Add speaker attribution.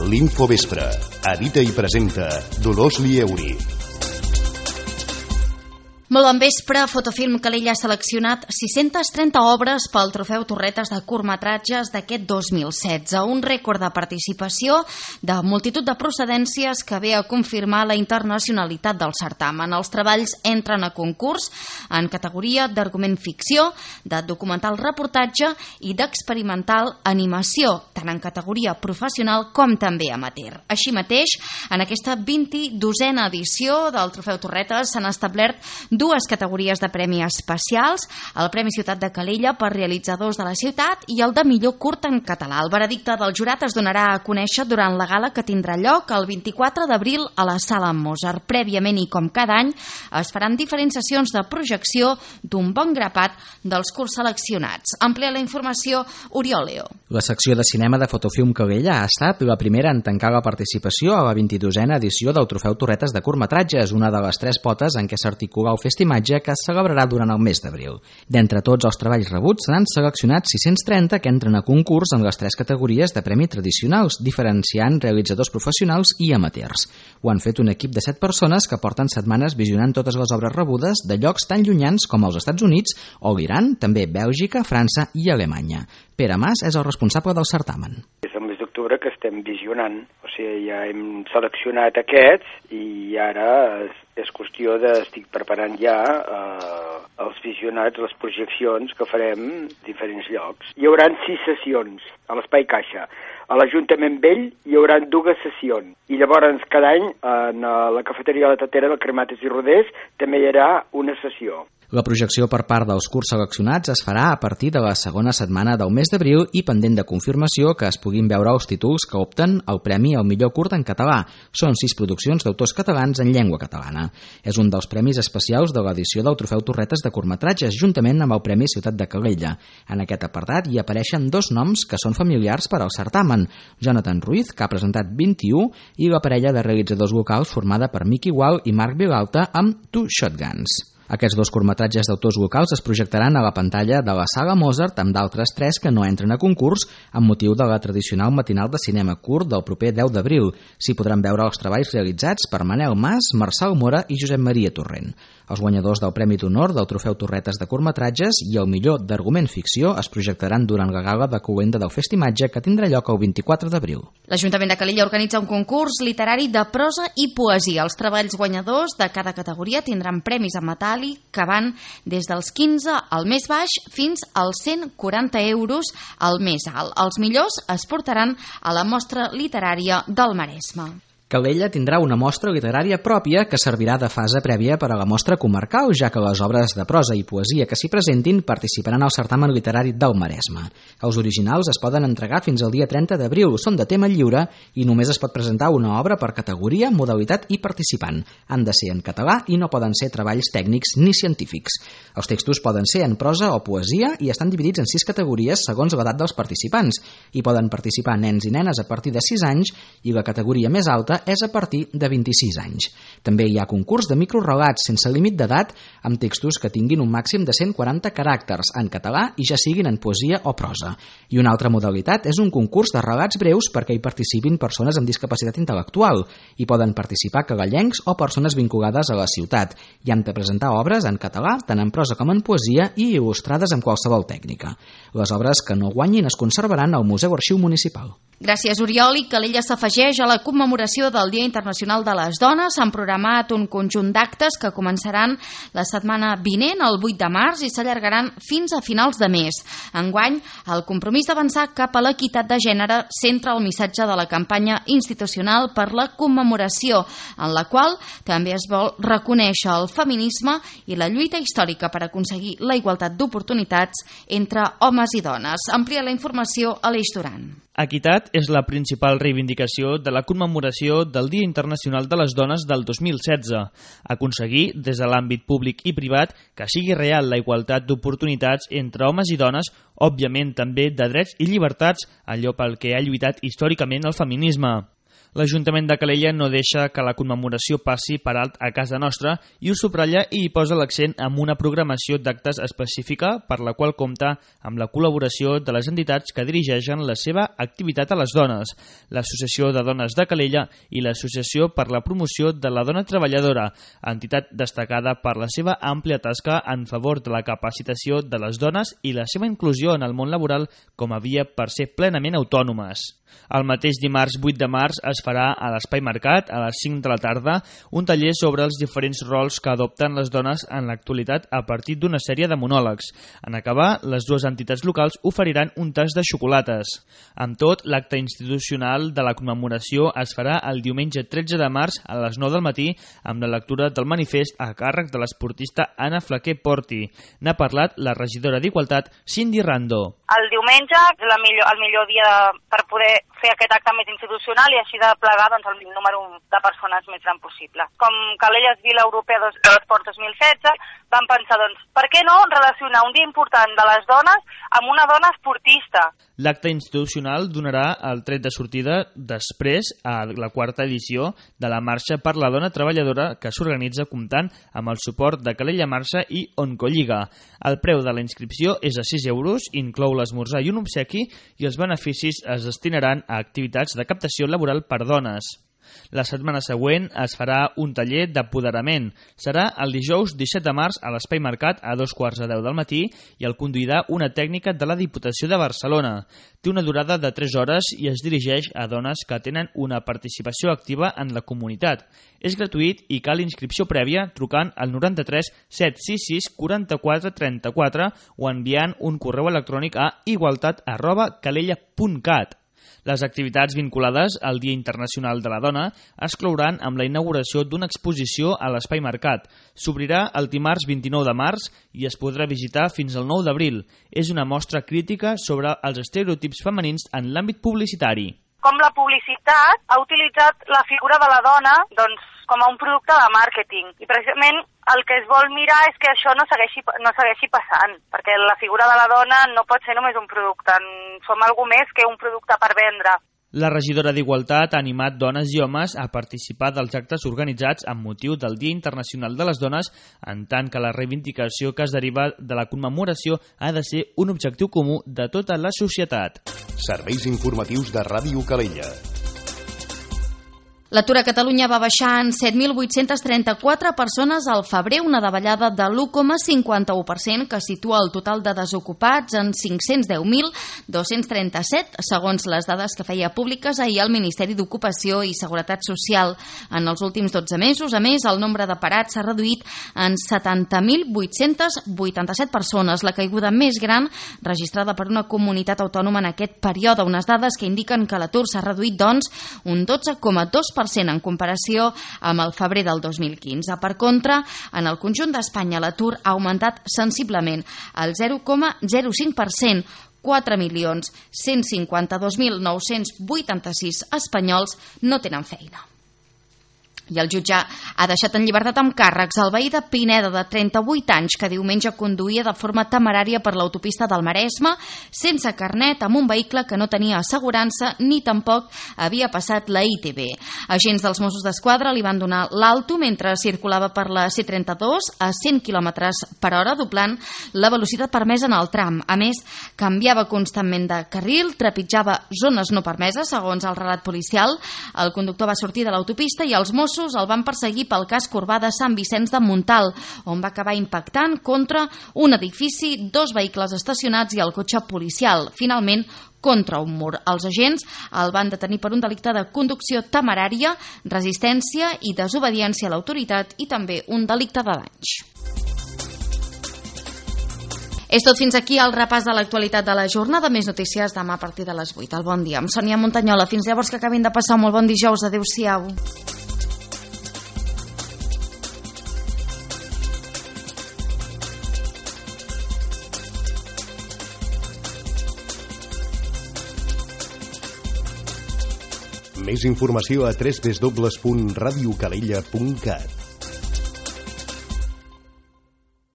Speaker 1: L'Infovespre. Edita i presenta Dolors Lieuri.
Speaker 2: Molt bon vespre. Fotofilm Calella ha seleccionat 630 obres pel Trofeu Torretes de curtmetratges d'aquest 2016, un rècord de participació de multitud de procedències que ve a confirmar la internacionalitat del certamen. Els treballs entren a concurs en categoria d'argument ficció, de documental reportatge i d'experimental animació, tant en categoria professional com també amateur. Així mateix, en aquesta 22a edició del Trofeu Torretes s'han establert dues categories de premi especials, el Premi Ciutat de Calella per realitzadors de la ciutat i el de millor curt en català. El veredicte del jurat es donarà a conèixer durant la gala que tindrà lloc el 24 d'abril a la Sala Mozart. Prèviament i com cada any es faran diferents sessions de projecció d'un bon grapat dels curts seleccionats. Amplia la informació Oriol Leo.
Speaker 3: La secció de cinema de Fotofilm Calella ha estat la primera en tancar la participació a la 22a edició del Trofeu Torretes de curtmetratges, una de les tres potes en què s'articula el festimatge que es celebrarà durant el mes d'abril. D'entre tots els treballs rebuts s'han seleccionat 630 que entren a concurs en les tres categories de premi tradicionals, diferenciant realitzadors professionals i amateurs. Ho han fet un equip de 7 persones que porten setmanes visionant totes les obres rebudes de llocs tan llunyans com els Estats Units o l'Iran, també Bèlgica, França i Alemanya. Pere Mas és el responsable del certamen.
Speaker 4: És el mes d'octubre que estem visionant, o sigui, ja hem seleccionat aquests i ara és qüestió estic preparant ja els visionats, les projeccions que farem en diferents llocs. Hi haurà 6 sessions a l'Espai Caixa. A l'Ajuntament Vell hi haurà 2 sessions i llavors cada any en la cafeteria de la Tatera del Cremates i Rodés també hi haurà una sessió.
Speaker 3: La projecció per part dels curts seleccionats es farà a partir de la segona setmana del mes d'abril i pendent de confirmació que es puguin veure els títols que opten al Premi al millor curt en català. Són 6 produccions d'autors catalans en llengua catalana. És un dels premis especials de l'edició del Trofeu Torretes de curtmetratges, juntament amb el Premi Ciutat de Calella. En aquest apartat hi apareixen 2 noms que són familiars per al certamen: Jonathan Ruiz, que ha presentat 21, i la parella de realitzadors locals formada per Miqui Gual i Marc Vilalta amb Two Shotguns. Aquests 2 curtmetratges d'autors locals es projectaran a la pantalla de la Sala Mozart amb d'altres 3 que no entren a concurs amb motiu de la tradicional matinal de cinema curt del proper 10 d'abril. S'hi podran veure els treballs realitzats per Manel Mas, Marçal Mora i Josep Maria Torrent. Els guanyadors del Premi d'Honor del Trofeu Torretes de curtmetratges i el millor d'argument ficció es projectaran durant la gala de cloenda del festimatge que tindrà lloc el 24 d'abril.
Speaker 2: L'Ajuntament de Calella organitza un concurs literari de prosa i poesia. Els treballs guanyadors de cada categoria tindran premis en metàl·lic que van des dels 15 al més baix fins als 140 euros al més alt. Els millors es portaran a la mostra literària del Maresme.
Speaker 3: Calella tindrà una mostra literària pròpia que servirà de fase prèvia per a la mostra comarcal, ja que les obres de prosa i poesia que s'hi presentin participaran al certamen literari del Maresme. Els originals es poden entregar fins al dia 30 d'abril, són de tema lliure i només es pot presentar una obra per categoria, modalitat i participant. Han de ser en català i no poden ser treballs tècnics ni científics. Els textos poden ser en prosa o poesia i estan dividits en 6 categories segons l'edat dels participants. Hi poden participar nens i nenes a partir de 6 anys i la categoria més alta és a partir de 26 anys. També hi ha concurs de microrelats sense límit d'edat amb textos que tinguin un màxim de 140 caràcters en català i ja siguin en poesia o prosa. I una altra modalitat és un concurs de relats breus perquè hi participin persones amb discapacitat intel·lectual. Hi poden participar cagallencs o persones vinculades a la ciutat i han de presentar obres en català, tant en prosa com en poesia i il·lustrades amb qualsevol tècnica. Les obres que no guanyin es conservaran al Museu Arxiu Municipal.
Speaker 2: Gràcies, Oriol. I Calella s'afegeix a la commemoració del Dia Internacional de les Dones. Han programat un conjunt d'actes que començaran la setmana vinent, el 8 de març, i s'allargaran fins a finals de mes. Enguany, el compromís d'avançar cap a l'equitat de gènere centra el missatge de la campanya institucional per la commemoració, en la qual també es vol reconèixer el feminisme i la lluita històrica per aconseguir la igualtat d'oportunitats entre homes i dones. Amplia la informació Aleix Duran.
Speaker 5: Equitat és la principal reivindicació de la commemoració del Dia Internacional de les Dones del 2016. Aconseguir, des de l'àmbit públic i privat, que sigui real la igualtat d'oportunitats entre homes i dones, òbviament també de drets i llibertats, allò pel que ha lluitat històricament el feminisme. L'Ajuntament de Calella no deixa que la commemoració passi per alt a casa nostra i ho subratlla i hi posa l'accent amb una programació d'actes específica per la qual compta amb la col·laboració de les entitats que dirigeixen la seva activitat a les dones, l'Associació de Dones de Calella i l'Associació per la Promoció de la Dona Treballadora, entitat destacada per la seva àmplia tasca en favor de la capacitació de les dones i la seva inclusió en el món laboral com a via per ser plenament autònomes. El mateix dimarts 8 de març es farà a l'Espai Mercat, a les 5 de la tarda, un taller sobre els diferents rols que adopten les dones en l'actualitat a partir d'una sèrie de monòlegs. En acabar, les dues entitats locals oferiran un tas de xocolates. Amb tot, l'acte institucional de la commemoració es farà el diumenge 13 de març a les 9 del matí amb la lectura del manifest a càrrec de l'esportista Anna Flaquer Porti. N'ha parlat la regidora d'Igualtat, Cindy Rando.
Speaker 6: El diumenge és el millor dia per poder fer aquest acte més institucional i així de plegar el número de persones més gran possible. Com Calella és Vila Europea de l'Esport 2016, vam pensar, per què no relacionar un dia important de les dones amb una dona esportista?
Speaker 5: L'acte institucional donarà el tret de sortida després a la quarta edició de la Marxa per la Dona Treballadora que s'organitza comptant amb el suport de Calella Marxa i Oncolliga. El preu de la inscripció és a 6 euros, inclou l'esmorzar i un obsequi i els beneficis es destinaran a activitats de captació laboral per dones. La setmana següent es farà un taller d'apoderament. Serà el dijous 17 de març a l'Espai Mercat a 2:15 del matí i el conduirà una tècnica de la Diputació de Barcelona. Té una durada de 3 hores i es dirigeix a dones que tenen una participació activa en la comunitat. És gratuït i cal inscripció prèvia trucant al 93 766 44 34 o enviant un correu electrònic a igualtat@calella.cat. Les activitats vinculades al Dia Internacional de la Dona es clouran amb la inauguració d'una exposició a l'Espai Mercat. S'obrirà el dimarts 29 de març i es podrà visitar fins al 9 d'abril. És una mostra crítica sobre els estereotips femenins en l'àmbit publicitari.
Speaker 6: Com la publicitat ha utilitzat la figura de la dona com a un producte de màrqueting. I precisament el que es vol mirar és que això no segueixi passant, perquè la figura de la dona no pot ser només un producte, som algú més que un producte per vendre.
Speaker 5: La regidora d'Igualtat ha animat dones i homes a participar dels actes organitzats amb motiu del Dia Internacional de les Dones, en tant que la reivindicació que es deriva de la commemoració ha de ser un objectiu comú de tota la societat.
Speaker 1: Serveis informatius de Ràdio Calella.
Speaker 2: L'atur a Catalunya va baixar en 7.834 persones al febrer, una davallada de l'1,51% que situa el total de desocupats en 510.237, segons les dades que feia públiques ahir el Ministeri d'Ocupació i Seguretat Social. En els últims 12 mesos, a més, el nombre de parats s'ha reduït en 70.887 persones, la caiguda més gran registrada per una comunitat autònoma en aquest període, unes dades que indiquen que l'atur s'ha reduït, doncs, un 12,2% en comparació amb el febrer del 2015. Per contra, en el conjunt d'Espanya l'atur ha augmentat sensiblement al 0,05%. 4.152.986 espanyols no tenen feina. I el jutge ha deixat en llibertat amb càrrecs el veí de Pineda, de 38 anys, que diumenge conduïa de forma temerària per l'autopista del Maresme sense carnet, amb un vehicle que no tenia assegurança ni tampoc havia passat la ITV. Agents dels Mossos d'Esquadra li van donar l'alto mentre circulava per la C32 a 100 km per hora, doblant la velocitat permesa en el tram. A més, canviava constantment de carril, trepitjava zones no permeses, segons el relat policial. El conductor va sortir de l'autopista i els Mossos el van perseguir pel casc urbà de Sant Vicenç de Montal, on va acabar impactant contra un edifici, 2 vehicles estacionats i el cotxe policial. Finalment, contra un mur. Els agents el van detenir per un delicte de conducció temerària, resistència i desobediència a l'autoritat i també un delicte de danys. És tot fins aquí el repàs de l'actualitat de la jornada. Més notícies demà a partir de les 8. El bon dia amb Sònia Montanyola. Fins llavors, que acabin de passar un molt bon dijous. Adéu-siau.
Speaker 1: Més informació a www.radiocalella.cat.